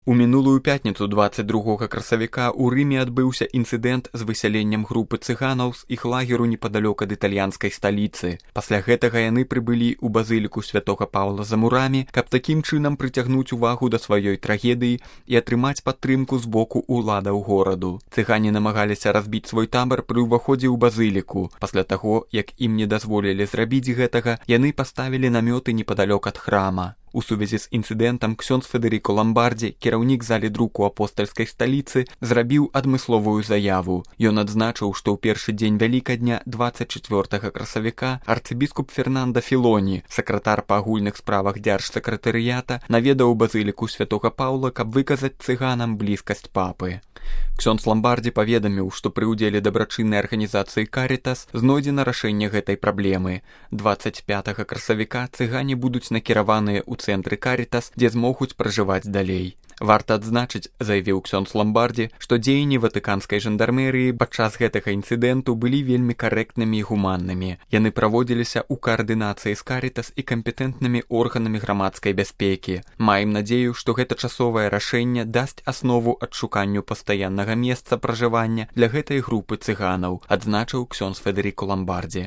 У мінулую пятніцу 22 красавіка ў Рыме адбыўся інцыдэнт з высяленнем групы цыганаў з іх лагеру непадалёк ад італьянскай сталіцы. Пасля гэтага яны прыбылі ў базыліку святога Паўла за мурамі, каб такім чынам прыцягнуць увагу да сваёй трагедыі і атрымаць падтрымку з боку ўладаў гораду. Цыгане намагаліся разбіць свой табар пры ўваходзе ў базыліку. Пасля таго, як ім не дазволілі зрабіць гэтага, яны паставілі намёты непадалёк ад храма. У сувязі з інцыдэнтам ксёндз Федэріко Ламбардзі, кіраўнік залі друку апостальскай сталіцы, зрабіў адмысловую заяву. Ён адзначыў, што ў першы дзень Вялікадня 24 красавіка арцыбіскуп Фернанда Філоні, сакратар па агульных справах дзяржсакратарыята, наведаў базыліку святога Паўла, каб выказаць цыганам блізкасць папы. Ксёндз Ламбардзі паведаміў, што пры ўдзеле дабрачыннай арганізацыі «Карітас» знойдзена рашэнне гэтай праблемы. 25 красавіка цыгане будуць накіраваныя ў цэнтры «Карітас», дзе змогуць пражываць далей. Варта адзначыць, заявіў ксёндз Ламбардзі, што дзеянні ватыканскай жандармерыі падчас гэтага інцыдэнту былі вельмі карэктнымі і гуманнымі. Яны праводзіліся ў каардынацыі з «Карітас» і кампетэнтнымі органамі грамадскай бяспекі. Маем надзею, што гэта часовае рашэнне дасць аснову адшуканню пастаяннага месца пражывання для гэтай групы цыганаў, адзначыў ксёндз Федэріко Ламбардзі.